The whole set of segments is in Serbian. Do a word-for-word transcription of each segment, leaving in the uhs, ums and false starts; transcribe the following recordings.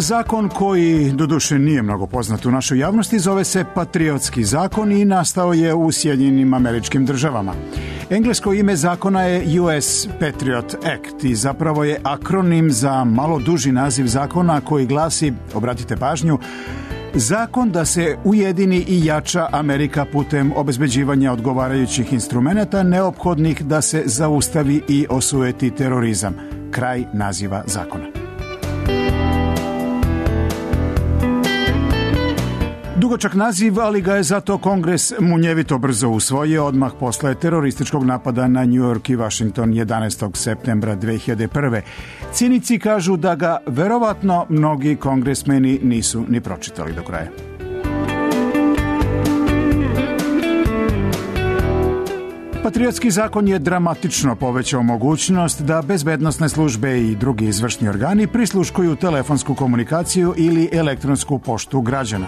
Zakon koji, doduše, nije mnogo poznat u našoj javnosti, zove se Patriotski zakon i nastao je u Sjedinjenim Američkim Državama. Englesko ime zakona je U S Patriot Act i zapravo je akronim za malo duži naziv zakona koji glasi, obratite pažnju, zakon da se ujedini i jača Amerika putem obezbeđivanja odgovarajućih instrumenata neophodnih da se zaustavi i osujeti terorizam. Kraj naziva zakona. Dugočak naziv, ali ga je zato Kongres munjevito brzo usvojio odmah posle terorističkog napada na New York i Washington jedanaestog septembra dve hiljade prve. Cinici kažu da ga verovatno mnogi kongresmeni nisu ni pročitali do kraja. Patriotski zakon je dramatično povećao mogućnost da bezbednosne službe i drugi izvršni organi prisluškuju telefonsku komunikaciju ili elektronsku poštu građana.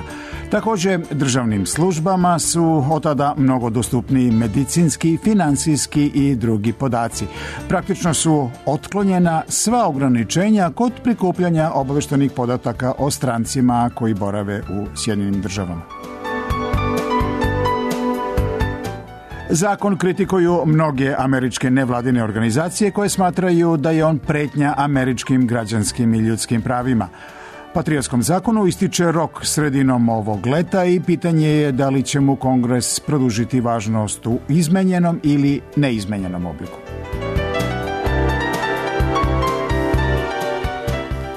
Također, državnim službama su od tada mnogo dostupniji medicinski, finansijski i drugi podaci. Praktično su otklonjena sva ograničenja kod prikupljanja obaveštenih podataka o strancima koji borave u Sjedinjenim Državama. Zakon kritikuju mnoge američke nevladine organizacije koje smatraju da je on pretnja američkim građanskim i ljudskim pravima. Patriotskom zakonu ističe rok sredinom ovog leta i pitanje je da li će mu Kongres produžiti važnost u izmenjenom ili neizmenjenom obliku.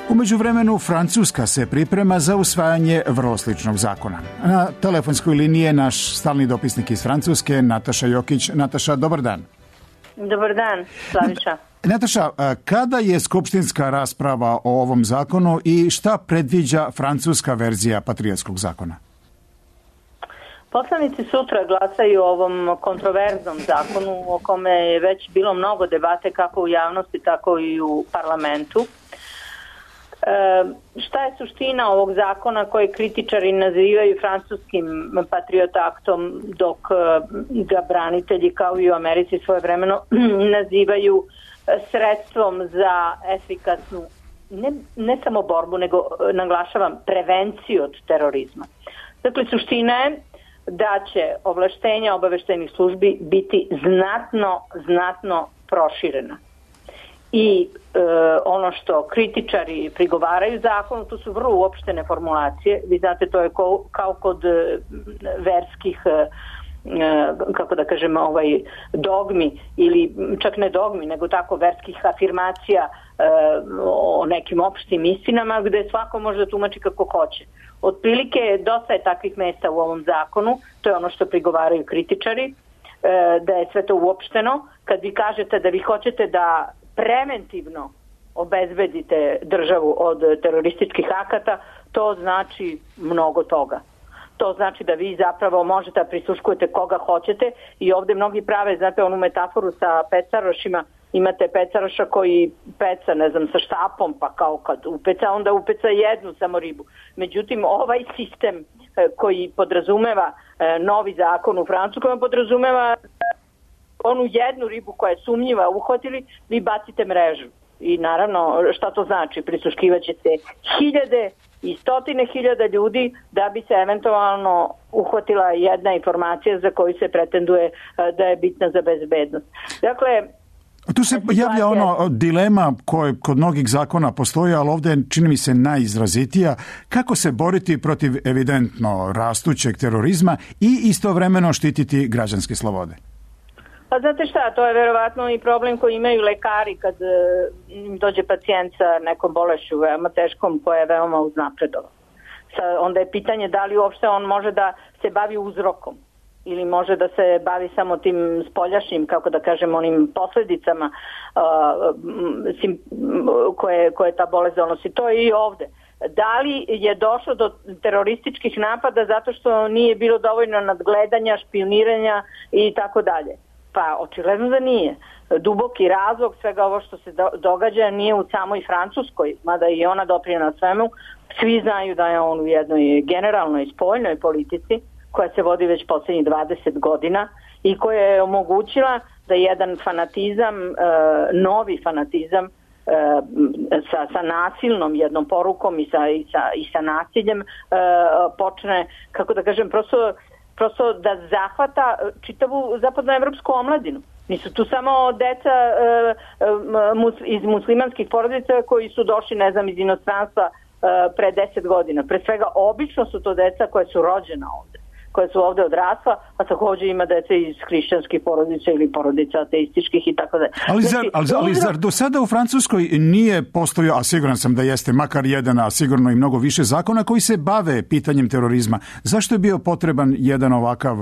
U međuvremenu Francuska se priprema za usvajanje vrlo sličnog zakona. Na telefonskoj liniji je naš stalni dopisnik iz Francuske, Nataša Jokić. Nataša, dobar dan. Dobar dan, Slaviša. Nataša, kada je skupštinska rasprava o ovom zakonu i šta predviđa francuska verzija Patriotskog zakona? Poslanici sutra glasaju o ovom kontroverznom zakonu o kome je već bilo mnogo debate kako u javnosti, tako i u parlamentu. E, šta je suština ovog zakona koje kritičari nazivaju francuskim Patriot aktom, dok ga branitelji kao i u Americi svojevremeno nazivaju sredstvom za efikasnu ne, ne samo borbu, nego naglašavam prevenciju od terorizma. Dakle, suština je da će ovlaštenja obaveštajnih službi biti znatno, znatno proširena. I e, ono što kritičari prigovaraju zakonu, to su vrlo uopštene formulacije. Vi znate, to je ko, kao kod e, verskih, e, kako da kažem, ovaj, dogmi, ili čak ne dogmi, nego tako verskih afirmacija e, o nekim opštim istinama, gde svako može da tumači kako hoće. Otprilike, dosta je takvih mesta u ovom zakonu, to je ono što prigovaraju kritičari, e, da je sve to uopšteno. Kad vi kažete da vi hoćete da preventivno obezbedite državu od terorističkih akata, to znači mnogo toga. To znači da vi zapravo možete da prisluškujete koga hoćete i ovde mnogi prave, znate, onu metaforu sa pecarošima, imate pecaroša koji peca, ne znam, sa štapom, pa kao kad upeca, onda upeca jednu samo ribu. Međutim, ovaj sistem koji podrazumeva novi zakon u Francuskoj, podrazumeva onu jednu ribu koja je sumnjiva uhvatili, vi bacite mrežu. I naravno, šta to znači? Prisluškivaćete hiljade i stotine hiljada ljudi da bi se eventualno uhvatila jedna informacija za koju se pretenduje da je bitna za bezbednost. Dakle, tu se javlja ono dilema koja kod mnogih zakona postoji, ali ovdje je, čini mi se, najizrazitija. Kako se boriti protiv evidentno rastućeg terorizma i istovremeno štititi građanske slobode? Pa znate šta, to je verovatno i problem koji imaju lekari kad im dođe pacijent sa nekom bolešću veoma teškom koja je veoma uznapredovana. Onda je pitanje da li uopšte on može da se bavi uzrokom ili može da se bavi samo tim spoljašnjim, kako da kažem, onim posledicama uh, sim, koje, koje ta bolest donosi. To je i ovde. Da li je došlo do terorističkih napada zato što nije bilo dovoljno nadgledanja, špioniranja i tako dalje? Pa očigledno da nije. Duboki razlog svega ovo što se do, događa nije u samoj Francuskoj, mada i ona doprinela svemu. Svi znaju da je on u jednoj generalnoj spoljnoj politici koja se vodi već poslednjih dvadeset godina i koja je omogućila da jedan fanatizam, e, novi fanatizam sa, sa nasilnom jednom porukom i sa, i sa, i sa nasiljem počne, kako da kažem, prosto, prosto da zahvata čitavu zapadnoevropsku omladinu. Nisu tu samo deca iz muslimanskih porodica koji su došli, ne znam, iz inostranstva pre deset godina. Pre svega, obično su to deca koje su rođena ovde, koje su ovde odrasla, a takođe ima dece iz hrišćanskih porodica ili porodica ateističkih i tako da. Ali zar, ali, ali zar do sada u Francuskoj nije postojao, a siguran sam da jeste, makar jedan, a sigurno i mnogo više zakona koji se bave pitanjem terorizma? Zašto je bio potreban jedan ovakav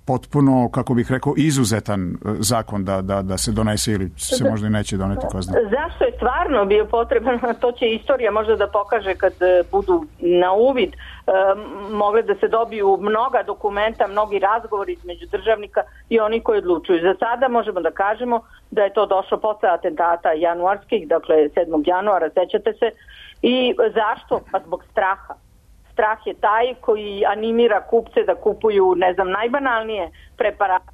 potpuno, kako bih rekao, izuzetan zakon da, da, da se donese ili se možda i neće doneti, ko zna? Zašto je stvarno bio potreban? To će istorija možda da pokaže kad budu na uvid mogle da se dobiju mnoga dokumenta, mnogi razgovori između državnika i oni koji odlučuju. Za sada možemo da kažemo da je to došlo posle atentata januarskih, dakle sedmog januara, sećate se. I zašto? Pa zbog straha. Strah je taj koji animira kupce da kupuju, ne znam, najbanalnije preparate,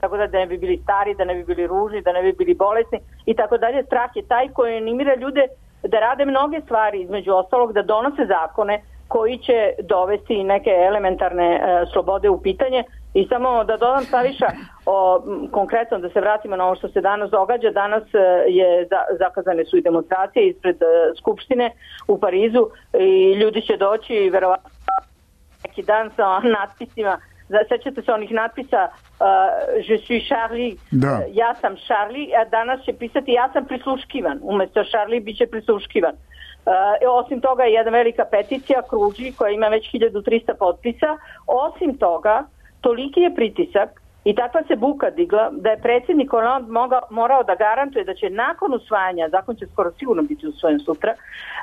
tako da ne bi bili stari, da ne bi bili ružni, da ne bi bili bolesni i tako dalje. Strah je taj koji animira ljude da rade mnoge stvari, između ostalog da donose zakone koji će dovesti neke elementarne e, slobode u pitanje. I samo da dodam, Saviša, o, konkretno da se vratimo na ovo što se danas događa. Danas je za, zakazane su i demonstracije ispred e, Skupštine u Parizu i ljudi će doći verovatno neki dan sa natpisima. Sećate se onih natpisa uh, Je suis Charlie, da. Ja sam Charlie, a danas će pisati ja sam prisluškivan. Umesto Charlie bit će prisluškivan. Uh, osim toga je jedna velika peticija kruži koja ima već hiljadu trista potpisa. Osim toga, toliki je pritisak i takva se buka digla da je predsjednik Hollande morao da garantuje da će nakon usvajanja, zakon će skoro sigurno biti usvojen sutra,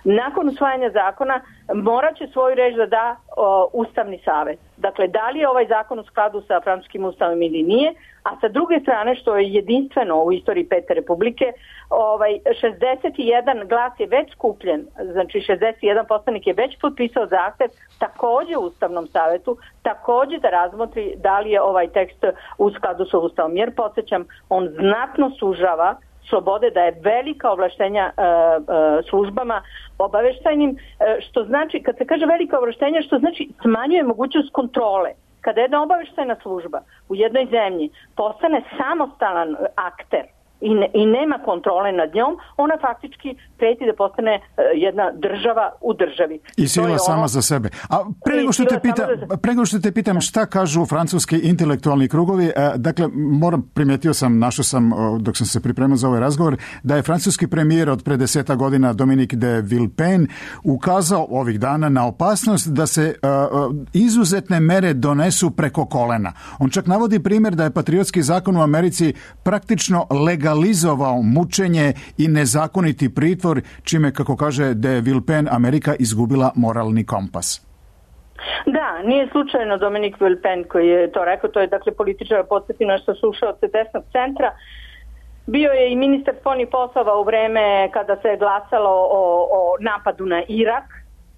nakon usvajanja zakona morat će svoju reč da da o, Ustavni savet. Dakle, da li je ovaj zakon u skladu sa francuskim ustavom ili nije, a sa druge strane, što je jedinstveno u istoriji Pete Republike, ovaj, šezdeset jedan glas je već skupljen, znači šezdeset jedan poslanik je već potpisao zahtev takođe u Ustavnom savetu, takođe da razmotri da li je ovaj tekst u skladu sa ustavom. Jer, podsjećam, on znatno sužava slobode, da je velika ovlaštenja e, e, službama obaveštajnim, e, što znači, kad se kaže velika ovlaštenja, što znači smanjuje mogućnost kontrole. Kada jedna obaveštajna služba u jednoj zemlji postane samostalan akter i, ne, i nema kontrole nad njom, ona faktički preti da postane uh, jedna država u državi. I sila sama ono... za sebe. A pre nego što te pita, pre nego što te pitam šta kažu francuski intelektualni krugovi, uh, dakle, moram, primetio sam, našao sam, uh, dok sam se pripremao za ovaj razgovor, da je francuski premijer od pre deseta godina Dominique de Villepin ukazao ovih dana na opasnost da se uh, izuzetne mere donesu preko kolena. On čak navodi primjer da je patriotski zakon u Americi praktično legalizovao mučenje i nezakoniti pritvor, čime, kako kaže de Villepin, Amerika izgubila moralni kompas. Da, nije slučajno Dominique Villepin koji je to rekao, to je dakle političar, podsjetino što su ušao od desnog centra. Bio je i ministar spoljnih poslova u vreme kada se je glasalo o, o napadu na Irak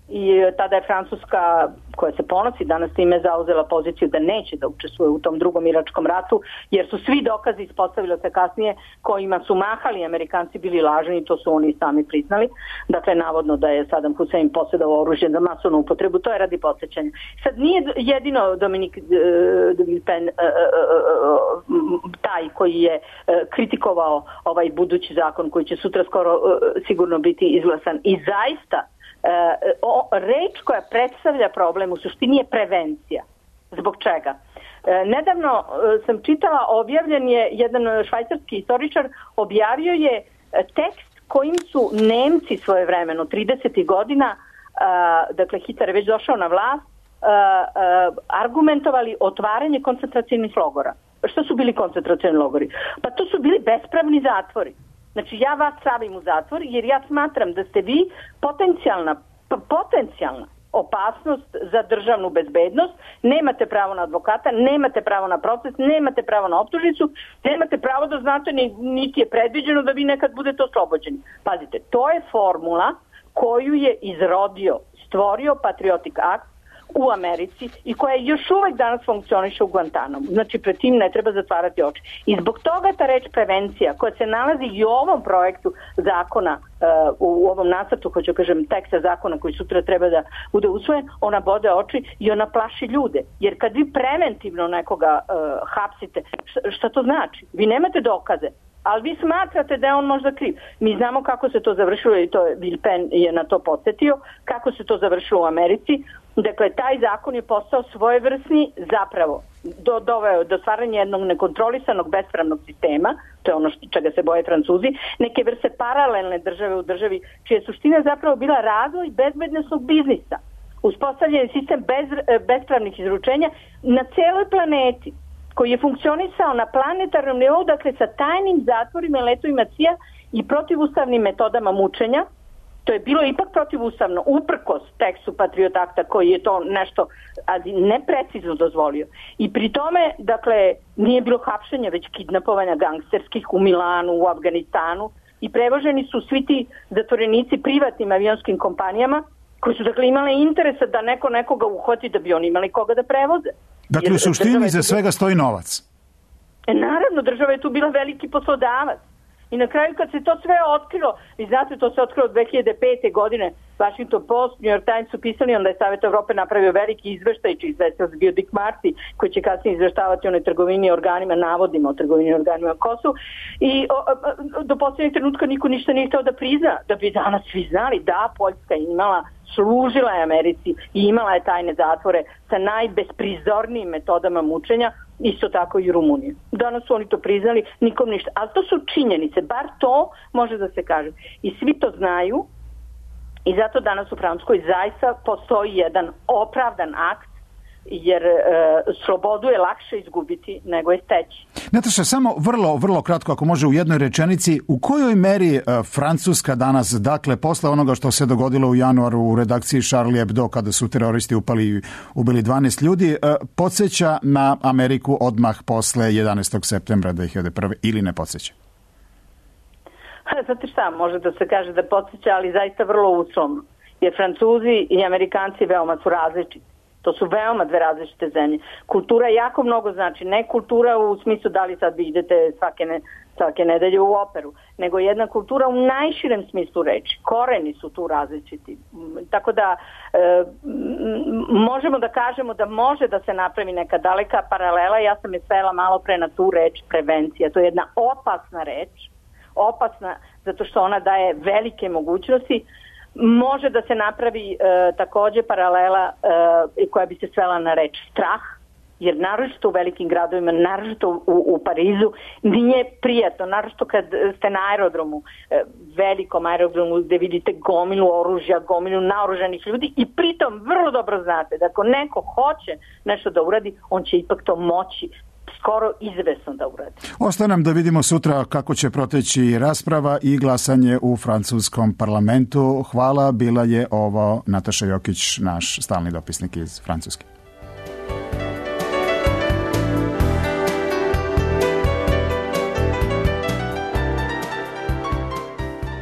i tada je Francuska, koja se ponosi danas time, zauzela poziciju da neće da učestvuje u tom drugom iračkom ratu, jer su svi dokazi, ispostavilo se kasnije, kojima su mahali Amerikanci bili lažni i to su oni sami priznali. Dakle, navodno da je Saddam Hussein posjedovao oružje za masovnu upotrebu, to je radi podsjećanja. Sad nije jedino Dominique de Villepin taj koji je kritikovao ovaj budući zakon koji će sutra skoro sigurno biti izglasan i zaista o, reč koja predstavlja problem u suštini je prevencija. Zbog čega? E, nedavno sam čitala, objavljen je jedan švajcarski istoričar, objavio je tekst kojim su Nemci svojevremeno tridesetih godina, a, dakle Hitler je već došao na vlast, a, a, argumentovali otvaranje koncentracionih logora. Što su bili koncentracioni logori? Pa to su bili bespravni zatvori. Znači, ja vas stavim u zatvor jer ja smatram da ste vi potencijalna, potencijalna opasnost za državnu bezbednost, nemate pravo na advokata, nemate pravo na proces, nemate pravo na optužnicu, nemate pravo da znate, niti je predviđeno da vi nekad budete oslobođeni. Pazite, to je formula koju je izrodio, stvorio Patriotic Act, u Americi i koja još uvek danas funkcioniše u Guantanamu. Znači, pred tim ne treba zatvarati oči. I zbog toga ta reč prevencija, koja se nalazi i u ovom projektu zakona, uh, u ovom nacrtu, hoću kažem, teksta zakona koji sutra treba da bude usvojen, ona bode oči i ona plaši ljude. Jer kad vi preventivno nekoga uh, hapsite, šta, šta to znači? Vi nemate dokaze, ali vi smatrate da je on možda kriv. Mi znamo kako se to završilo i to je Bill Penn je na to podsjetio, kako se to završilo u Americi. Dakle, taj zakon je postao svojevrsni, zapravo do, doveo do stvaranja jednog nekontrolisanog bespravnog sistema, to je ono što, čega se boje Francuzi, neke vrste paralelne države u državi, čija je suština zapravo bila razvoj bezbednosnog biznisa, uspostavljen sistem bez, bespravnih izručenja na celoj planeti, koji je funkcionisao na planetarnom nivou, dakle sa tajnim zatvorima i letovima C I A i protivustavnim metodama mučenja. To je bilo ipak protivustavno, uprkos tekstu Patriot Akta koji je to nešto neprecizno dozvolio. I pri tome, dakle, nije bilo hapšenja, već kidnapovanja gangsterskih u Milanu, u Afganistanu i prevoženi su svi ti zatvorenici privatnim avionskim kompanijama koji su, dakle, imale interesa da neko nekoga uhvati da bi oni imali koga da prevoze. Dakle, u suštini za svega stoji novac. E, naravno, država je tu bila veliki poslodavac. I na kraju kad se to sve otkrilo, vi znate, to se otkrilo dve hiljade pete. godine, Washington Post, New York Times su pisali, onda je Savjet Evrope napravio veliki izveštaj, čiji izveštaj bio Dick Marty, koji će kasnije izveštavati o onoj trgovini organima, navodima o trgovini organima Kosovu. I o, o, do posljednjeg trenutka niko ništa nije hteo da prizna, da bi danas svi znali da Poljska imala, služila je Americi i imala je tajne zatvore sa najbesprizornijim metodama mučenja, isto tako i Rumunije. Danas su oni to priznali, nikom ništa. Ali to su činjenice, bar to može da se kaže. I svi to znaju i zato danas u Francuskoj zaista postoji jedan opravdan akt, jer e, slobodu je lakše izgubiti nego je steći. Nataša, samo vrlo, vrlo kratko, ako može u jednoj rečenici, u kojoj meri e, Francuska danas, dakle, posle onoga što se dogodilo u januaru u redakciji Charlie Hebdo, kada su teroristi upali i ubili dvanaest ljudi, e, podsjeća na Ameriku odmah posle jedanaestog septembra dve hiljade prve. ili ne podsjeća? Znate šta, može da se kaže da podsjeća, ali zaista vrlo uslovno. Jer Francuzi i Amerikanci veoma su različiti. To su veoma dve različite zemlje. Kultura jako mnogo znači. Ne kultura u smislu da li sad vi idete svake, ne, svake nedelje u operu, nego jedna kultura u najširem smislu reči. Koreni su tu različiti. Tako da e, možemo da kažemo da može da se napravi neka daleka paralela. Ja sam je svela malo pre na tu reč prevencija. To je jedna opasna reč. Opasna zato što ona daje velike mogućnosti. Može da se napravi e, takođe paralela e, koja bi se svela na reč strah, jer naročito u velikim gradovima, naročito u, u Parizu, nije prijatno, naročito kad ste na aerodromu, e, velikom aerodromu gde vidite gomilu oružja, gomilu naoružanih ljudi i pritom vrlo dobro znate da ako neko hoće nešto da uradi, on će ipak to moći skoro izvesno da uradi. Ostaje nam da vidimo sutra kako će proteći rasprava i glasanje u francuskom parlamentu. Hvala, bila je ovo Nataša Jokić, naš stalni dopisnik iz Francuske.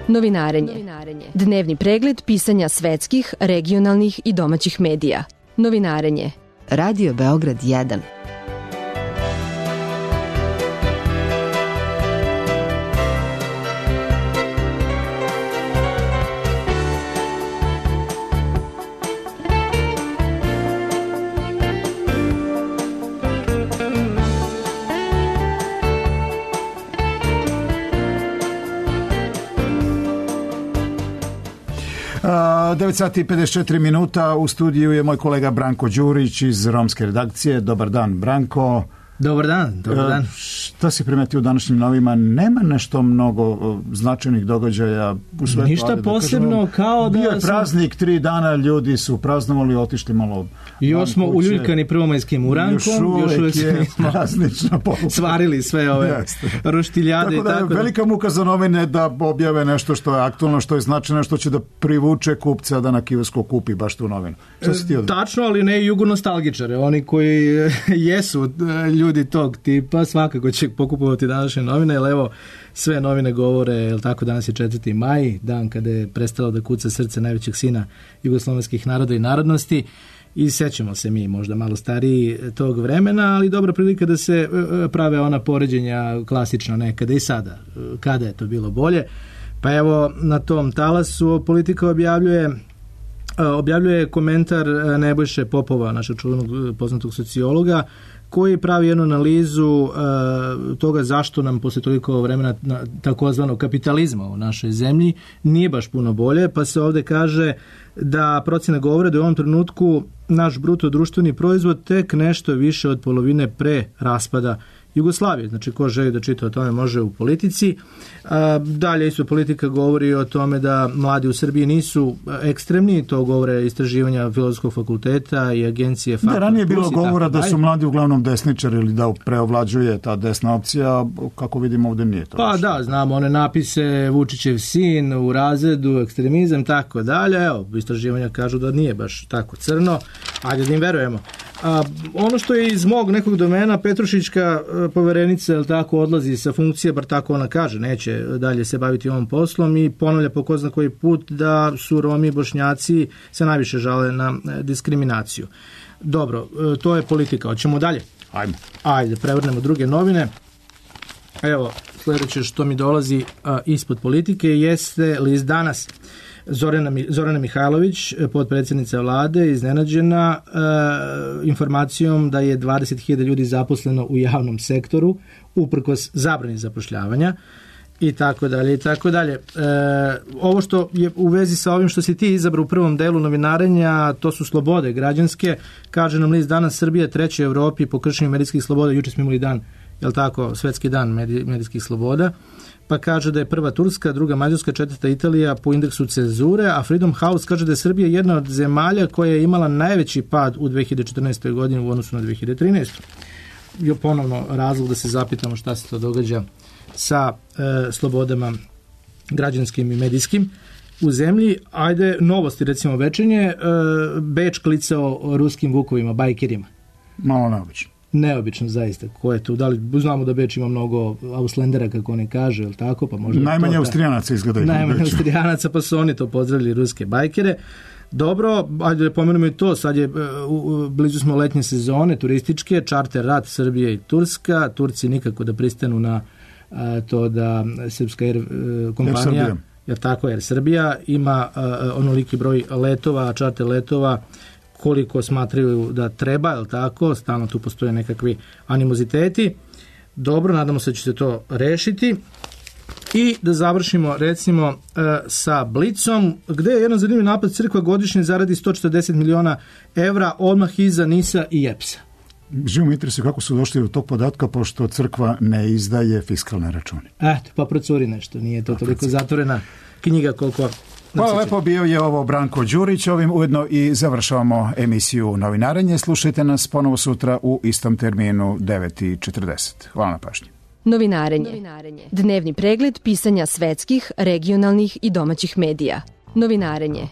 Novinarenje. Dnevni pregled pisanja svetskih, regionalnih i domaćih medija. Novinarenje. Radio Beograd jedan. devet sati i pedeset četiri minuta, u studiju je moj kolega Branko Đurić iz romske redakcije. Dobar dan, Branko. Dobar dan, dobar dan. Šta si primetio u današnjim novima? Nema nešto mnogo značajnih događaja u svetu. Ništa da posebno, kažemo, kao da... Bio je praznik, tri dana, ljudi su praznovali, otišli malo... I još smo uljuljkani prvomajskim urankom. Još uvek je praznična poluka. Svarili sve ove roštiljade. Tako da je tako velika muka za novine da objave nešto što je aktualno, što je značajno, što će da privuče kupca da na kiosku kupi baš tu novinu. Što si ti odmah? Tačno, ali ne jugonostalgičare. Oni koji jesu ljudi tog tipa svakako će pokupovati današnje novine, jer evo sve novine govore, jel tako, danas je četvrti maj, dan kada je prestalo da kuca srce najvećeg sina jugoslovenskih naroda i narodnosti, i sećamo se mi možda malo stariji tog vremena, ali dobra prilika da se prave ona poređenja klasična nekada i sada. Kada je to bilo bolje? Pa evo, na tom talasu Politika objavljuje objavljuje komentar Nebojše Popova, našeg čuvenog poznatog sociologa, koji pravi jednu analizu uh, toga zašto nam posle toliko vremena takozvanog kapitalizma u našoj zemlji nije baš puno bolje, pa se ovde kaže da procene govore da u ovom trenutku naš bruto društveni proizvod tek nešto više od polovine pre raspada Jugoslavije. Znači, ko želi da čita o tome može u Politici. A, dalje isto Politika govori o tome da mladi u Srbiji nisu ekstremni, to govore istraživanja Filozofskog fakulteta i agencije Faktor. Da, ranije je bilo govora da su mladi uglavnom desničari ili da preovlađuje ta desna opcija, kako vidimo ovde nije to. Pa da, znamo one napise Vučićev sin u razredu, ekstremizam, tako dalje. Evo, istraživanja kažu da nije baš tako crno. Ajde da im verujemo. A, ono što je iz mog nekog domena, Petrušićka poverenica, jel tako, odlazi sa funkcije, bar tako ona kaže, neće dalje se baviti ovom poslom i ponavlja po ko zna koji put da su Romi i Bošnjaci se najviše žale na diskriminaciju. Dobro, to je Politika. Hoćemo dalje? Ajmo. Ajde, prevrnemo druge novine. Evo, sljedeće što mi dolazi a, ispod Politike jeste list Danas. Zorana, Zorana Mihajlović, potpredsjednica vlade, iznenađena e, informacijom da je dvadeset hiljada ljudi zaposleno u javnom sektoru uprkos zabrani zapošljavanja i tako dalje i tako dalje. E, ovo što je u vezi sa ovim što si ti izabrao u prvom delu novinarenja, to su slobode građanske. Kaže nam list Danas, Srbija treća u Evropi po kršenju medijskih sloboda. Juče smo imali dan, jel tako, svetski dan medijskih sloboda. Pa kaže da je prva Turska, druga Mađarska, četvrta Italija po indeksu cenzure, a Freedom House kaže da je Srbija jedna od zemalja koja je imala najveći pad u dve hiljade četrnaestoj. godini u odnosu na dve hiljade trinaestu. I ponovno razlog da se zapitamo šta se to događa sa e, slobodama građanskim i medijskim u zemlji. Ajde, novosti, recimo večernje, e, Beč klicao ruskim vukovima, bajkerima. Malo neobično. Neobično, zaista. Ko je tu? Da li znamo da Beč ima mnogo Auslendera, kako oni kaže, ili tako? Pa možda najmanje Austrijanaca izgledaju. Najmanje Austrijanaca, pa su oni to pozdravili, ruske bajkere. Dobro, ajde da pomenemo i to, sad je, u, blizu smo letnje sezone, turističke, čarter rat Srbije i Turska, Turci nikako da pristanu na a, to da srpska Air kompanija, jer, jer tako Air Srbija, ima a, onoliki broj letova, čarter letova, koliko smatraju da treba, je li tako, stalno tu postoje nekakvi animoziteti. Dobro, nadamo se da će se to rešiti. I da završimo, recimo, sa Blicom, gde je jedan zanimljiv napad, crkva godišnje zaradi sto četrdeset miliona evra, odmah iza NIS-a i E P S-a. Živo mi interesuje kako su došli do tog podatka, pošto crkva ne izdaje fiskalne račune. Eto, pa procuri nešto, nije to toliko zatvorena knjiga koliko... Hvala lepo, bio je ovo Branko Đurić, ovim ujedno i završavamo emisiju Novinarenje. Slušajte nas ponovo sutra u istom terminu devet i četrdeset. Hvala na pažnji. Novinarenje. Novinarenje. Dnevni pregled pisanja svetskih, regionalnih i domaćih medija. Novinarenje.